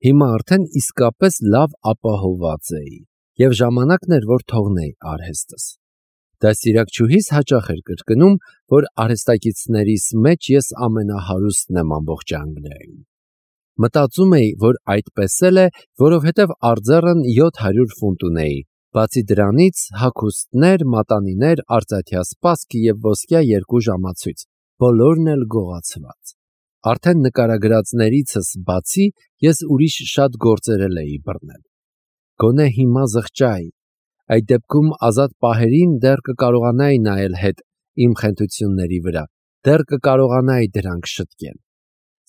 Հիմա արդեն իսկապես լավ ապահովված էի, և ժամանակն էր, որ թողնեի արհեստս։ Դաստիարակչուհիս հաճախ էր կրկնում, որ արհեստագետներից մեջ ես ամենահարուստն եմ ամբողջ Անգլիայում։ Մտածում էի, որ այդպես էլ է, որովհետև արձեռն 700 ֆունտ ունեի, բացի դրանից հագուստներ, մատանիներ, արծաթյա սպասք և ոսկյա 2 ժամացույց, բոլորն էլ գողացված։ Արդեն նկարագրածներիցս բացի ես ուրիշ շատ գործեր էլ էի բռնել։ Գոնե հիմա զղջայի, այդ դեպքում ազատ պահերին դեռ կկարողանայի նայել հետ իմ խենթությունների վրա, դեռ կկարողանայի դրանք շտկել։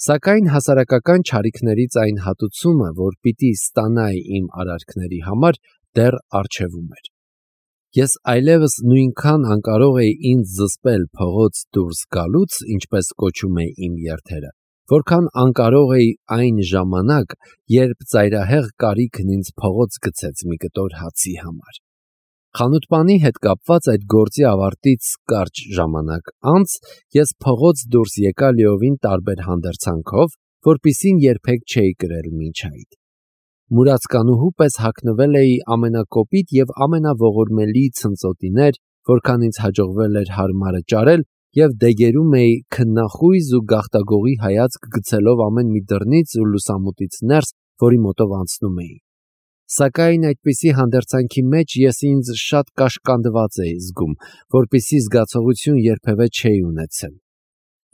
Սակայն հասարակական չարիքներից այն հատուցումը, որ պիտի ստանայի իմ արարքների համար, դեռ առջևում էր։ Ես այլևս նույնքան անկարող էի ինձ զսպել փողոց դուրս գալուց, ինչպես կոչում էի իմ երթերը, որքան անկարող էի այն ժամանակ, երբ ծայրահեղ կարիքն ինձ փողոց գցեց մի կտոր հացի համար։ Խանութպանի հետ կապված այդ գործի ավարտից կարճ ժամանակ անց ես փողոց դուրս եկա լիովին տարբեր հանդերձանքով, որպիսին երբեք չէի կրել մինչ այդ։ Մուրացկանուհու պես հագնվել էի ամենակոպիտ և ամենաողորմելի ցնծոտիներ, որքան ինձ հաջողվել էր հարմարը ճարել, և դեգերում էի քննախույզ ու գաղտագողի հայացք գցելով ամեն մի դռնից ու լուսամուտից ներս, որի մոտով անցնում էի։ Սակայն այդպիսի հանդերձանքի մեջ ես ինձ շատ կաշկանդված էի զգում, որպիսի զգացողություն երբևէ չէի ունեցել։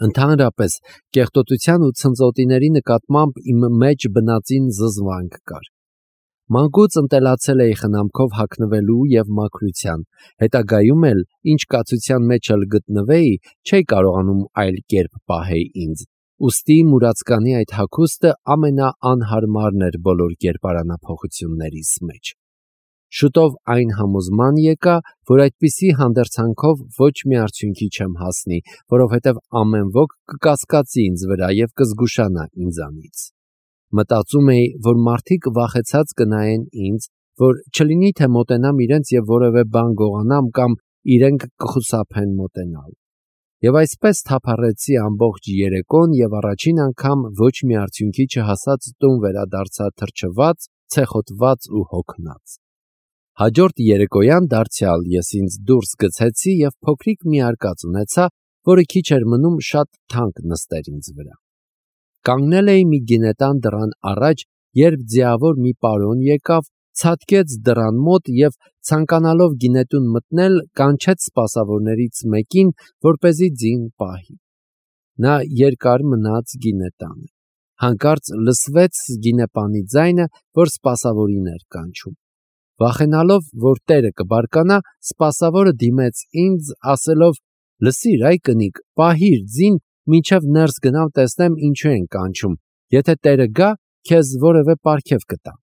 Ընդհանրապես, կեղտոտության ու ցնծոտիների նկատմամբ իմ մեջ բնածին զզվանք կար։ Մանկուց ընտելացել էի խնամքով հագնվելու և մաքրության, հետագայում էլ, ինչ կացության մեջ էլ գտնվեի, չէի կարողանում այլ կերպ պահեի ինձ, ուստի մուրացկանի այդ հագուստը ամենաանհարմարն էր բոլոր կերպարանափոխություններիս մեջ։ Շուտով այն համոզման եկա, որ այդպիսի հանդերձանքով ոչ մի արդյունքի չեմ հասնի, որովհետև ամեն ոք կկասկածի ինձ վրա և կզգուշանա ինձանից։ Մտածում էի, որ մարդիկ վախեցած կնայեն ինձ, որ չլինի թե մոտենամ իրենց և որևէ բան գողանամ կամ իրենք կխուսափեն մոտենալ։ Եվ այսպես թափառեցի ամբողջ երեկոն և առաջին անգամ ոչ մի արդյունքի չհասած տուն վերադարձա թրջված, ցեխոտված ու հոգնած։ Հաջորդ երեկոյան դարձյալ ես ինձ դուրս գցեցի և փոքրիկ մի արկած ունեցա, որը քիչ էր մնում շատ թանկ նստեր ինձ վրա։ Կանգնել էի մի գինետան դռան առաջ, երբ ձիավոր մի պարոն եկավ, ցատկեց դռան մոտ և, ցանկանալով գինետուն մտնել, կանչեց սպասավորներից մեկին, որպեսզի ձին պահի։ Նա երկար մնաց գինետանը։ Հանկարծ լսվեց գինեպանի ձայնը, որ սպասավորին էր կանչում։ Վախենալով, որ տերը կբարկանա, սպասավորը դիմեց ինձ, ասելով. «Լսիր, այ կնիկ, պահիր ձին, մինչև ներս գնամ տեսնեմ ինչու են կանչում, եթե տերը գա, քեզ որևէ պարգև կտամ»։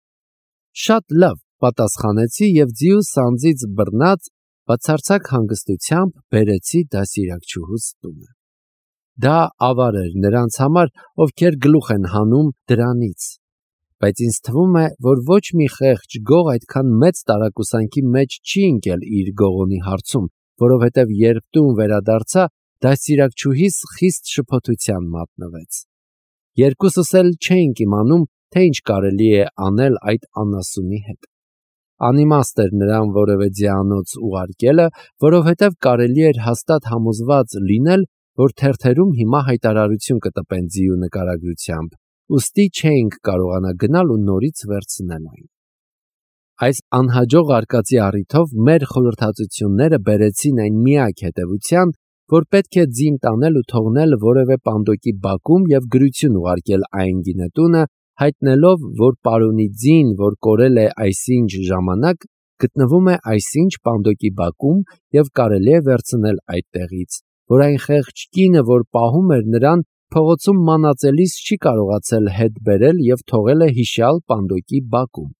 Շատ լավ, պատասխանեցի և ձիու սանձից բռնած, բացարձակ հանգստությամբ բերեցի դաստիարակչուհուս տունը։ Դա ավար էր նրանց համար, ովքեր գլուխ են հանում դրանից, բայց ինձ թվում է, որ ոչ մի խեղճ գող այդքան մեծ տարակուսանքի մեջ չի ընկել իր գողոնի հարցում, որովհետև երբ տուն վերադարձա, դաստիարակչուհիս խիստ շփոթության մատնվեց։ Երկուսս էլ չէինք իմանում, թե ինչ կարելի է անել այդ անասունի հետ։ Անիմաստ էր նրան որևէ ձիանոց ուղարկելը, որովհետև կարելի էր հաստատ համոզված լինել, որ թերթերում հիմա հայտարարություն կտպեն ձիու նկարագրությամբ, ուստի չէինք կարողանա գնալ ու նորից վերցնել այն։ Այս անհաջող արկածի առիթով մեր խորհրդածությունները բերեցին այն միակ հետևության, որ պետք է ձին տանել ու թողնել որևէ պանդոկի բակում և գրություն ուղարկել այն գինետունը, հայտնելով, որ պարոնի ձին, որ կորել է այսինչ ժամանակ, գտնվում է այսինչ պանդոկի բակում և կարելի է վերցնել այդտեղից, որ այն խեղճ կինը, որ պահում էր նրան, փողոցում մանածելիս չի կարողացել հետ բերել և թողել է հիշյալ պանդոկի բակում։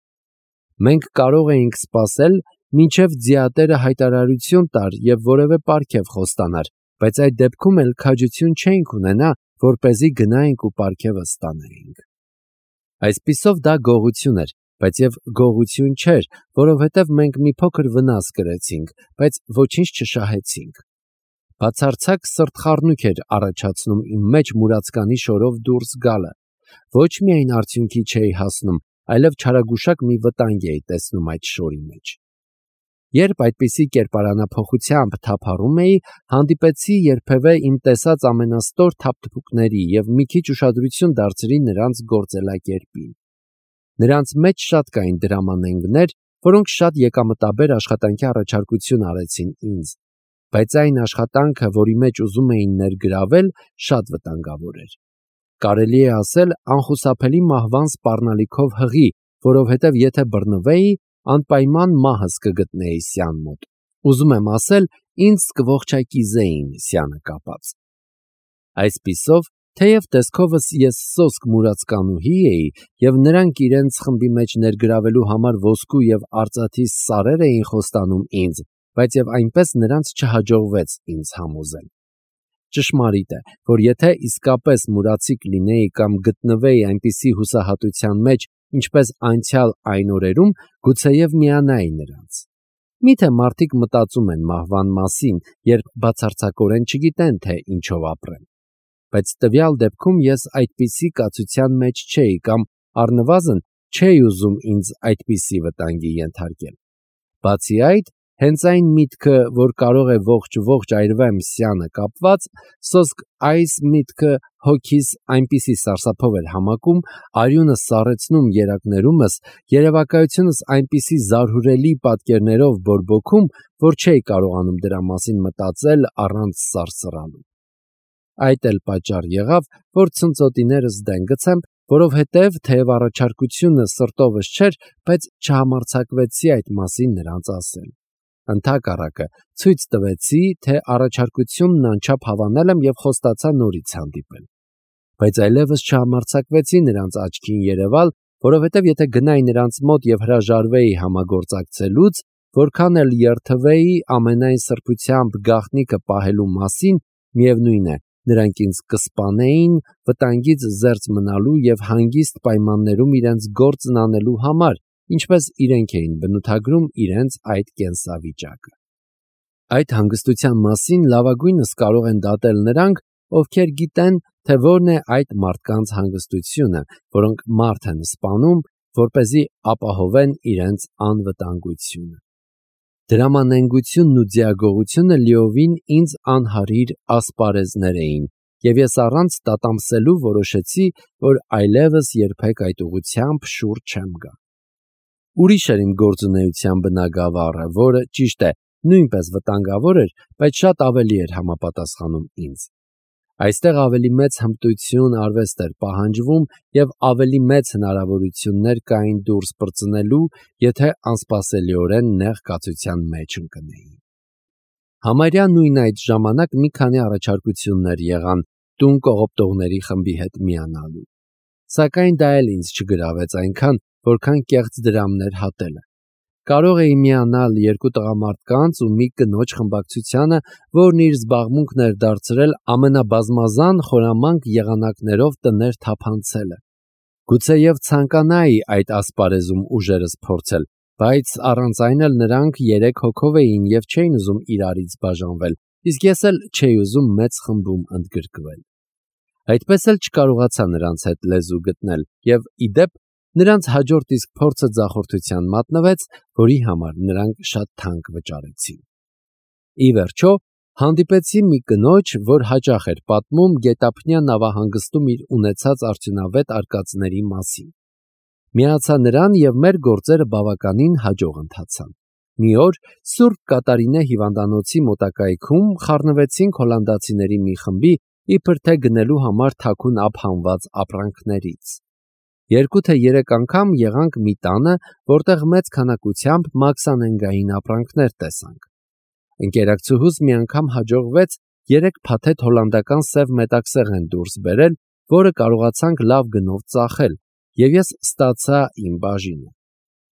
Մենք կարող էինք սպասել, մինչև ձիատերը հայտարարություն տար և որևէ պարգև խոստանար, բայց այդ դեպքում էլ քաջություն չէինք ունենա, որպեսզի գնայինք ու պարգևը ստանայինք։ Այսպիսով դա գողություն էր, բայց և գողություն չէր, որովհետև մենք մի փոքր վնաս կրեցինք, բայց ոչինչ չշահեցինք։ Բացարձակ սրտխառնույք էր առաջացնում իմ մեջ մուրացկանի շորով դուրս գալը, ոչ միայն արդյունքի չէի հասնում, այլև չարագուշակ մի վտանգ էի տեսնում այդ շորի մեջ։ Երբ այդպիսի կերպարանափոխությամբ թափառում էի, հանդիպեցի երբևէ իմ տեսած ամենաստոր թափթփուկների և մի քիչ ուշադրություն դարձրի նրանց գործելակերպին։ Նրանց մեջ շատ կային դրամանենգներ, որոնք շատ եկամտաբեր աշխատանքի առաջարկություն արեցին ինձ, բայց այն աշխատանքը, որի մեջ ուզում էին ներգրավել, շատ վտանգավոր էր։ Կարելի է ասել անխուսափելի մահվան սպառնալիքով հղի, որովհետև եթե բռնվեի, անպայման մահս կգտնեի սյան մոտ։ Ուզում եմ ասել, ինձ կողջակիզեին սյանը կապած։ Այսպիսով, թեև տեսքովս ես սոսկ մուրացկանուհի էի, և նրանք իրենց խմբի մեջ ներգրավելու համար ոսկու և արծաթի սարեր էին խոստանում ինձ, բայց և այնպես նրանց չհաջողվեց ինձ համոզել։ Ճշմարիտ է, որ եթե իսկապես մուրացիկ լինեի կամ գտնվեի այնպիսի հուսահատության մեջ, ինչպես անցյալ այն օրերում, գուցեև միանայի նրանց։ Միթե մարդիկ մտածում են մահվան մասին, երբ բացարձակորեն չգիտեն, թե ինչով ապրեն։ Բայց տվյալ դեպքում ես այդպիսի կացության մեջ չէի կամ առնվազն չէի ուզում ինձ այդպիսի վտանգի ենթարկել։ Բացի այդ, հենց այն միտքը, որ կարող է ողջ այրվեմ սյանը կապված, սոսկ այս միտքը հոգիս այնպիսի սարսափով էր համակում, արյունը սառեցնում երակներումս, երևակայությունս այնպիսի զարհուրելի պատկերներով բորբոքում, որ չէի կարողանում դրա մասին մտածել առանց սարսռալու։ Այդ էլ պատճառ եղավ, որ ցնծոտիներս դեն գցեմ, որովհետև թեև առաջարկությունը սրտովս չէր, բայց չհամարձակվեցի այդ մասին նրանց ասել։ Ընդհակառակը, ցույց տվեցի, թե առաջարկությունն անչափ հավանել եմ և խոստացա նորից հանդիպել։ Բայց այլևս չհամարձակվեցի նրանց աչքին երևալ, որովհետև եթե գնայի նրանց մոտ և հրաժարվեի համագործակցելուց, որքան էլ երդվեի ամենայն սրբությամբ գաղտնիքը պահելու մասին, միևնույն է, նրանք ինձ կսպանեին վտանգից զերծ մնալու և հանգիստ պայմաններում իրենց գործն անելու համար, ինչպես իրենք էին բնութագրում իրենց այդ կենսավիճակը։ Այդ հանգստության մասին լավագույնս կարող են դատել նրանք, ովքեր գիտեն, թե որն է այդ մարդկանց հանգստությունը, որոնք մարդ են սպանում, որպեսզի ապահովեն իրենց անվտանգությունը։ Դրամանենգությունն ու ձիագողությունը լիովին ինձ անհարիր ասպարեզներ էին, և ես առանց տատամսելու որոշեցի, որ այլևս երբեք այդ ուղղությամբ շուռ չեմ գա։ Ուրիշ էր իմ գործունեության բնագավառը, որը, ճիշտ է, նույնպես վտանգավոր էր, բայց շատ ավելի էր համապատասխանում ինձ։ Այստեղ ավելի մեծ հմտություն, արվեստ էր պահանջվում և ավելի մեծ հնարավորություններ կային դուրս պրծնելու, եթե անսպասելիորեն նեղ կացության մեջ ընկնեի։ Համարյա նույն այդ ժամանակ մի քանի առաջարկություններ եղան տուն կողոպտողների խմբի հետ միանալու։ Սակայն դա էլ ինձ չգրավեց այնքան, որքան կեղծ դրամներ հատելը։ Կարող էի միանալ երկու տղամարդկանց ու մի կնոջ խմբակցությանը, որն իր զբաղմունքն էր դարձրել ամենաբազմազան խորամանկ եղանակներով տներ թափանցելը։ Գուցեև ցանկանայի այդ ասպարեզում ուժերս փորձել, բայց առանց այն էլ նրանք 3 հոգով էին և չէին ուզում իրարից բաժանվել, իսկ ես էլ չէի ուզում մեծ խմբում ընդգրկվել։ Այդպես էլ չկարողացա նրանց հետ լեզու գտնել և, ի դեպ, նրանց հաջորդ իսկ փորձը ձախորդության մատնվեց, որի համար նրանք շատ թանկ վճարեցին։ Ի վերջո, հանդիպեցի մի կնոջ, որ հաճախ էր պատմում գետափնյա նավահանգստում իր ունեցած արդյունավետ արկածների մասին։ Միացա նրան և մեր գործերը բավականին հաջող ընթացան։ Մի օր Սուրբ Կատարինե հիվանդանոցի մոտակայքում խառնվեցինք հոլանդացիների մի խմբի, իբր թե գնելու համար թաքուն ափ հանված ապրանքներից։ 2 թե 3 անգամ եղանք մի տանը, որտեղ մեծ քանակությամբ մաքսանենգային ապրանքներ տեսանք։ Ընկերակցուհուս մի անգամ հաջողվեց 3 փաթեթ հոլանդական սև մետաքսեղեն դուրս բերել, որը կարողացանք լավ գնով ծախել, և ես ստացա իմ բաժինը։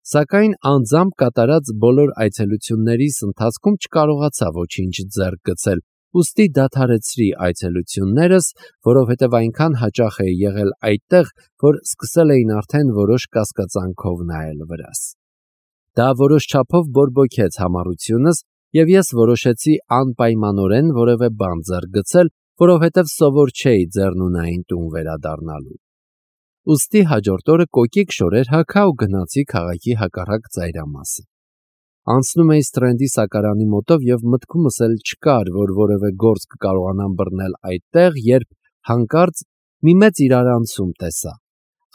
Սակայն անձամբ կատարած բոլոր այցելություններիս ընթացքում չկարողացա ոչինչ ձեռք գցել, ուստի դադարեցրի այցելություններս, որովհետև այնքան հաճախ էի եղել այդտեղ, որ սկսել էին արդեն որոշ կասկածանքով նայել վրաս։ Դա որոշ չափով բորբոքեց համառությունս, և ես որոշեցի անպայմանորեն որևէ բան ձեռք գցել, որովհետև սովոր չէի Ձեռնունային տուն վերադառնալու։ ուստի հաջորդ օրը կոկիկ շորեր հագա ու գնացի քաղաքի հակառակ ծայրամասը։ Անցնում էի Սթրենդի սակարանի մոտով եւ մտքումս էլ չկար, որ որևէ գործ կկարողանամ բռնել այդտեղ, երբ հանկարծ մի մեծ իրարանցում տեսա։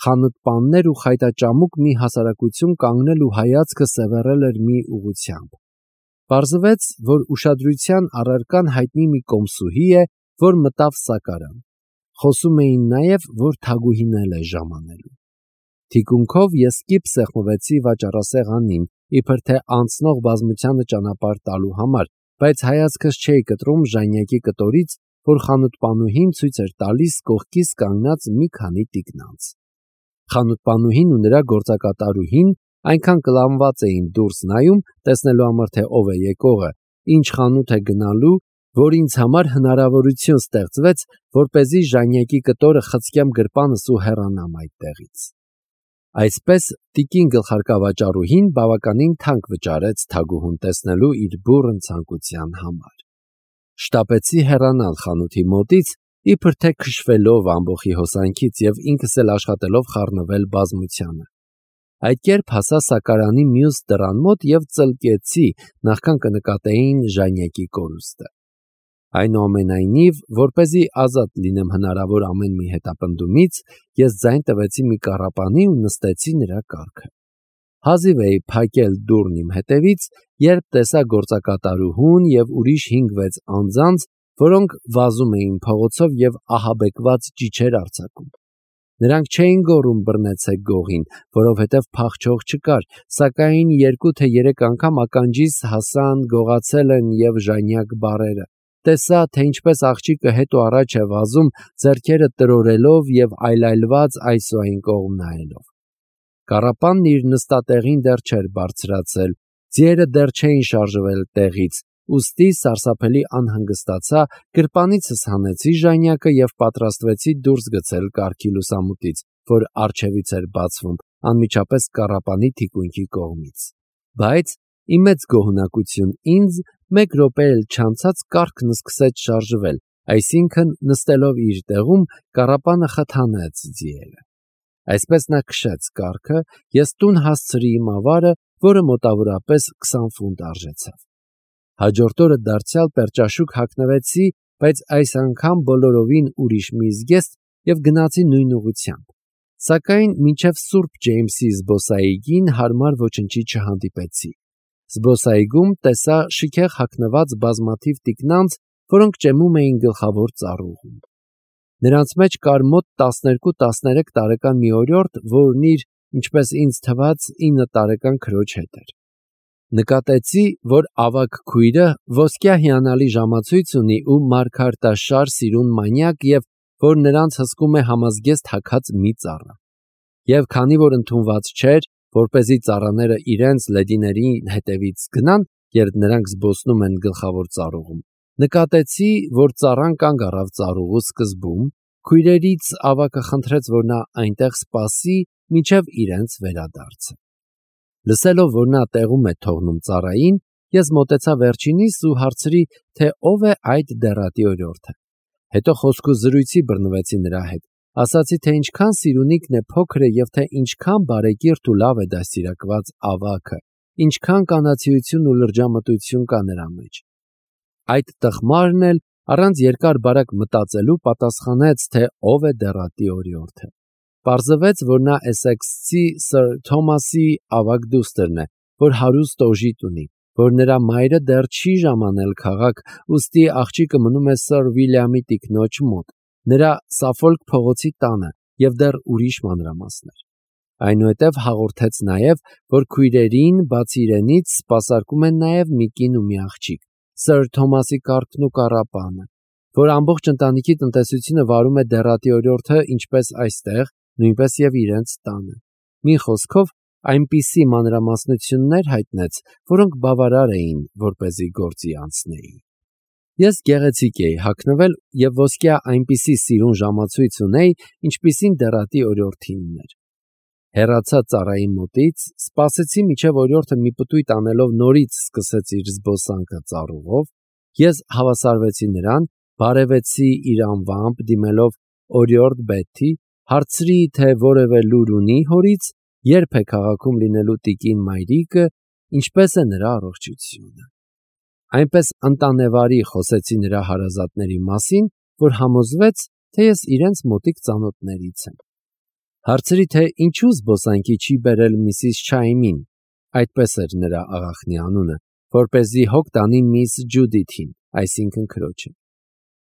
Խանութպաններ ու խայտաճամուկ մի հասարակություն կանգնել ու հայացքը սևեռել էր մի ուղղությամբ։ Պարզվեց, որ ուշադրության առարկան հայտնի մի կոմսուհի է, որ մտավ սակարան։ Խոսում էին նաև, որ թագուհին էլ է ժամանելու։ Թիկունքով ես կիպ սեղմվեցի վաճառասեղանին, իբր թե անցնող բազմությանը ճանապարհ տալու համար, բայց հայացքս չէի կտրում ժանյակի կտորից, որ խանութպանուհին ցույց էր տալիս կողքից կանգնած մի քանի տիկնանց։ Խանութպանուհին ու նրա գործակատարուհին այնքան կլանված էին դուրս նայում, տեսնելու համար, թե ով է եկողը, ինչ խանութ է գնալու, որ ինձ համար հնարավորություն ստեղծվեց, որպեսզի ժանյակի կտորը խցկեմ գրպանս ու հեռանամ այդտեղից։ Այսպես տիկին գլխարկավաճառուհին բավականին թանկ վճարեց թագուհուն տեսնելու իր բուռն ցանկության համար։ Շտապեցի հեռանալ խանութի մոտից, իբր թե քշվելով ամբոխի հոսանքից եւ ինքս էլ աշխատելով խառնվել բազմությանը։ Այդ կերպ հասա սակարանի մյուս դռան մոտ եւ ծլկեցի, նախքան կնկատեին ժանյակի կորուստը։ Այնուամենայնիվ, որպեսզի ազատ լինեմ հնարավոր ամեն մի հետապնդումից, ես ձայն տվեցի մի կառապանի ու նստեցի նրա կառքը։ Հազիվ էի փակել դուռն իմ հետևից, երբ տեսա գործակատարուհուն եւ ուրիշ 5-6 անձանց, որոնք վազում էին փողոցով եւ ահաբեկված ճիչեր արձակում։ Նրանք չէին գոռում բռնեցեք գողին, որովհետև փախչող չկար, սակայն 2 թե 3 անգամ ականջիս հասան գողացել են եւ ժանյակ բառերը։ Տեսա, թե ինչպես աղջիկը հետ ու առաջ է վազում, ձեռքերը տրորելով եւ այլայլված այս ու այն կողմ նայելով։ Կառապանն իր նստատեղին դեռ չէր բարձրացել, ձիերը դեռ չէին շարժվել տեղից, ուստի սարսափելի անհանգստացա, գրպանիցս հանեցի ժանյակը եւ պատրաստվեցի դուրս գցել կառքի լուսամուտից, որ առջևից էր բացվում, անմիջապես կառապանի թիկունքի կողմից։ Բայց իմ մեծ գոհունակություն ինձ 1 րոպե էլ չանցած կառքն սկսեց շարժվել, այսինքն նստելով իր տեղում կառապանը խթանեց ձիերը։ Այսպես նա քշեց կառքը, ես տուն հասցրի իմ ավարը, որը մոտավորապես 20 ֆունտ արժեցավ։ Հաջորդ օրը դարձյալ պերճաշուկ հագնվեցի, բայց այս անգամ բոլորովին ուրիշ մի զգեստ եւ գնացի նույն ուղղությամբ։ Սակայն մինչև Սուրբ Ջեյմսի զբոսայգին հարմար ոչնչի չհանդիպեցի։ Զբոսայգում տեսա շքեղ հագնված բազմաթիվ տիկնանց, որոնք ճեմում էին գլխավոր ծառուղուն։ Նրանց մեջ կար մոտ 12-13 տարեկան մի օրիորդ, որն իր, ինչպես ինձ թվաց, 9 տարեկան քրոջ հետ էր։ Նկատեցի, որ ավագ քույրը ոսկյա հիանալի ժամացույց ունի ու մարգարտաշար սիրուն մանյակ եւ որ նրանց հսկում է համազգեստ հագած մի ծառա։ Եվ քանի որ ընդունված չէր, որպեսզի ծառաները իրենց լեդիների հետևից գնան, երբ նրանք զբոսնում են գլխավոր ծառուղում, նկատեցի, որ ծառան կանգ առավ ծառուղու սկզբում, քույրերից ավագը խնդրեց, որ նա այնտեղ սպասի, մինչև իրենց վերադարձը։ Լսելով, որ նա տեղում է թողնում ծառային, ես մոտեցա վերջինիս ու հարցրի, թե ով է այդ դեռատի օրիորդը։ Հետո խոսքու զրույցի բռնվեցի նրա հետ, ասացի, թե ինչքան սիրունիկն է փոքրը եւ թե ինչքան բարեկիրթ ու լավ է դաստիարակված ավագը, ինչքան կանացիություն ու լրջամտություն կա նրա մեջ։ Այդ տխմարն էլ առանց երկար-բարակ մտածելու պատասխանեց, թե ով է դեռատի օրիորդը։ Պարզվեց, որ նա Էսեքսցի Սր Թոմասի ավագ դուստրն է, որ հարուստ օժիտ ունի, որ նրա մայրը դեռ չի ժամանել քաղաք, ուստի աղջիկը մնում է Սր Վիլյամի տիկնոջ մոտ, նրա Սաֆոլք փողոցի տանը եւ դեռ ուրիշ մանրամասներ։ Այնուհետև հաղորդեց նաև, որ քույրերին բացի իրենից սպասարկում են նաև մի կին ու մի աղջիկ, Սր Թոմասի կառքն ու կառապանը, որ ամբողջ ընտանիքի տնտեսությունը վարում է դեռատի օրիորդը ինչպես այստեղ, նույնպես եւ իրենց տանը։ Մի խոսքով այնպիսի մանրամասնություններ հայտնեց, որոնք բավարար էին, որպեսզի գործի անցնեի։ Ես գեղեցիկ էի հագնվել եւ ոսկյա այնպիսի սիրուն ժամացույց ունեի, ինչպիսին դեռատի օրիորդին ուներ։ Հեռացա ծառայի մոտից, սպասեցի մինչև օրիորդը մի պտույտ անելով նորից սկսեց իր զբոսանքը ծառուղով, ես հավասարվեցի նրան, բարևեցի իր անվամբ, դիմելով օրիորդ Բեթի, հարցրի, թե որևէ լուր ունի հորից, երբ է քաղաքում լինելու տիկին մայրիկը, ինչպես է նրա առողջությունը։ Այնպես ընտանեվարի խոսեցի նրա հարազատների մասին, որ համոզվեց, թե ես իրենց մոտիկ ծանոթներից եմ։ Հարցրի, թե ինչու զբոսանքի չի բերել Միսիս Չայմին, այդպես էր նրա աղախնի անունը, որպեսզի հոգ տանի Միս Ջուդիթին, այսինքն քրոջը։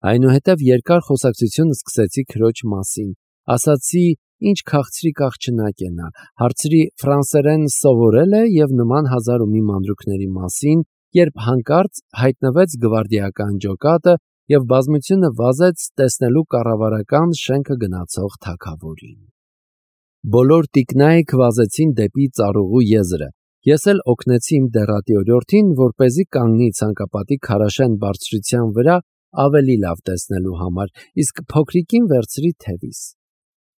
Այնուհետև երկար խոսակցություն սկսեցի քրոջ մասին, ասացի, ինչ քաղցրիկ աղջնակ է նա, հարցրի ֆրանսերեն սովորել է և նման հազար ու մի մանրուքների մասին, երբ հանկարծ հայտնվեց գվարդիական ջոկատը և բազմությունը վազեց տեսնելու կառավարական շենքը գնացող թագավորին։ Բոլոր տիկնայք վազեցին դեպի ծառուղու եզրը, ես էլ օգնեցի իմ դեռատի օրիորդին, որպեսզի կանգնի ցանկապատի քարաշեն բարձրության վրա ավելի լավ տեսնելու համար, իսկ փոքրիկին վերցրի թևիս։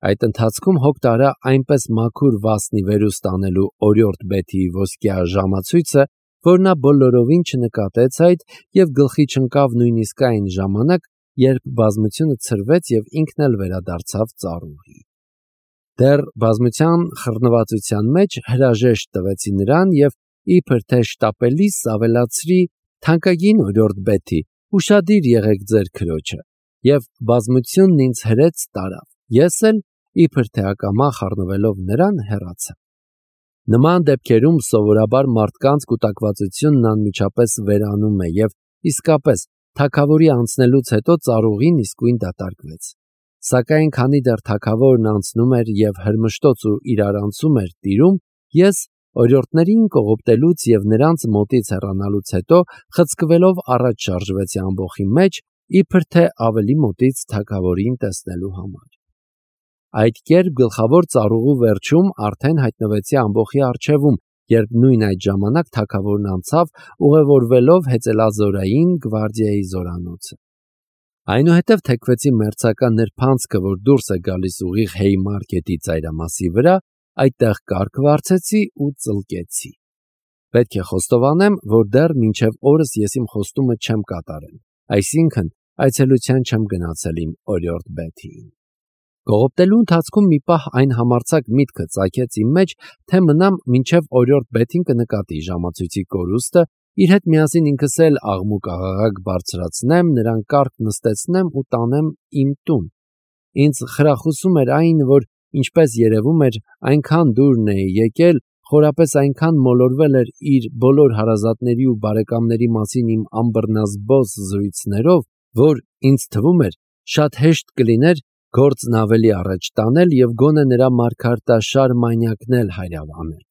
Այդ ընթացքում հոգ տարա այնպես մաքուր վասնի վերուստ անելու օրիորդ Բեթիի ոսկյա ժամացույցը, որ նա բոլորովին չնկատեց այդ և գլխի չընկավ նույնիսկ այն ժամանակ, երբ բազմությունը ցրվեց և ինքն էլ վերադարձավ ծառուղի։ Դեռ բազմության խռնվածության մեջ հրաժեշտ տվեցի նրան և իբր թե շտապելիս ավելացրի. «Թանկագին օրիորդ Բեթի, ուշադիր եղեք ձեր քրոջը», և բազմությունն ինձ հրեց տարավ։ Ես էլ, իբր թե ակամա խառնվելով նրան, հեռացա։ Նման դեպքերում սովորաբար մարդկանց կուտակվածությունն անմիջապես վերանում է և իսկապես թագավորի անցնելուց հետո ծառուղին իսկույն դատարկվեց։ Սակայն քանի դեռ թագավորն անցնում էր և հրմշտոց ու իրարանցում էր տիրում, ես օրիորդներին կողոպտելուց և նրանց մոտից հեռանալուց հետո խցկվելով առաջ շարժվեցի ամբոխի մեջ, իբր թե ավելի մոտից թագավորին տեսնելու համար։ Այդ կերպ գլխավոր ծառուղու վերջում արդեն հայտնվեցի ամբոխի առջևում, երբ նույն այդ ժամանակ թագավորն անցավ, ուղևորվելով հեծելազորային գվարդիայի զորանոցը։ Այնուհետև թեքվեցի մերձակա նրբանցքը, որ դուրս է գալիս ուղիղ Հեյմարքետի ծայրամասի վրա, այդտեղ կարգ վարձեցի ու ծլկեցի։ Պետք է խոստովանեմ, որ դեռ մինչև օրս ես իմ խոստումը չեմ կատարել, այսինքն այցելության չեմ գնացել իմ օրիորդ Բեթիին։ Կողոպտելու ընթացքում մի պահ այն համարձակ միտքը ծագեց իմ մեջ, թե մնամ մինչև օրիորդ Բեթին կնկատի ժամացույցի կորուստը, իր հետ միասին ինքս էլ աղմուկ-աղաղակ բարձրացնեմ, նրան կարգ նստեցնեմ ու տանեմ իմ տուն։ Ինձ խրախուսում էր այն, որ, ինչպես երևում էր, այնքան դուրն էի եկել, խորապես այնքան մոլորվել էր իր բոլոր հարազատների ու բարեկամների մասին իմ անբռնազբոս զրույցներով, որ ինձ թվում էր շատ հեշտ կլիներ գործն ավելի առաջ տանել և գոնե նրա մարգարտաշար մանյակն էլ հայրավանել։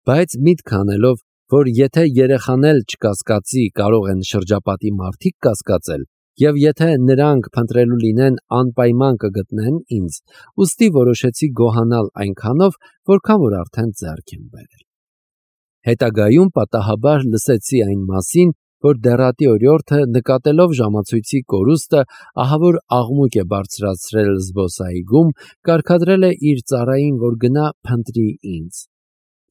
Բայց միտք անելով, որ եթե երեխան էլ չկասկածի, կարող են շրջապատի մարդիկ կասկածել, և եթե նրանք փնտրելու լինեն, անպայման կգտնեն ինձ, ուստի որոշեցի գոհանալ այնքանով, որքան որ արդեն ձեռք եմ բերել։ Հետագայում պատահաբար լսեցի այն մասին, որ դեռատի օրիորդը, նկատելով ժամացույցի կորուստը, ահավոր աղմուկ է բարձրացրել զբոսայգում, կարգադրել է իր ծառային, որ գնա փնտրի ինձ։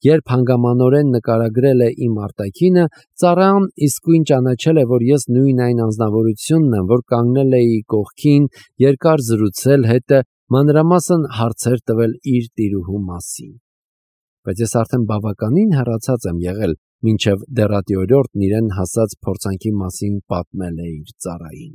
Երբ հանգամանորեն նկարագրել է իմ արտաքինը, ծառան իսկույն ճանաչել է, որ ես նույն այն անձնավորությունն եմ, որ կանգնել էի կողքին, երկար զրուցել հետը, մանրամասն հարցեր տվել իր տիրուհու մասին։ Բայց ես արդեն բավականին հեռացած եմ եղել, մինչև դեռատի օրիորդն իրեն հասած փորձանքի մասին պատմել է իր ծառային։